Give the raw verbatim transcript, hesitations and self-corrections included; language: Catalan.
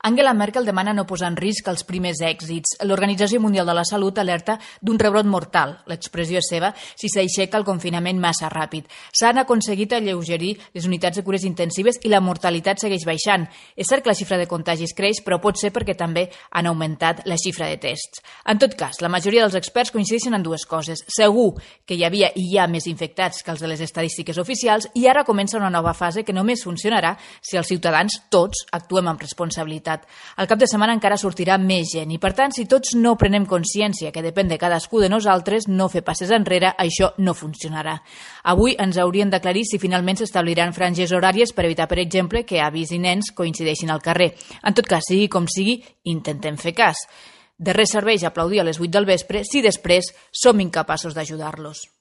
Angela Merkel demana no posar en risc els primers èxits. L'Organització Mundial de la Salut alerta d'un rebrot mortal. L'expressió és seva si s'aixeca el confinament massa ràpid. S'han aconseguit alleugerir les unitats de cures intensives i la mortalitat segueix baixant. És cert que la xifra de contagis creix, però pot ser perquè també han augmentat la xifra de tests. En tot cas, la majoria dels experts coincideixen en dues coses. Segur que hi havia i hi ha més infectats que els de les estadístiques oficials i ara comença una nova fase que només funcionarà si els ciutadans, tots, actuem amb responsabilitat. Al cap de setmana encara sortirà més gent i, per tant, si tots no prenem consciència que depèn de cadascú de nosaltres, no fer passes enrere, això no funcionarà. Avui ens haurien d'aclarir si finalment s'establiran franges horàries per evitar, per exemple, que avis i nens coincideixin al carrer. En tot cas, sigui com sigui, intentem fer cas. De res serveix aplaudir a les vuit del vespre si després som incapaços d'ajudar-los.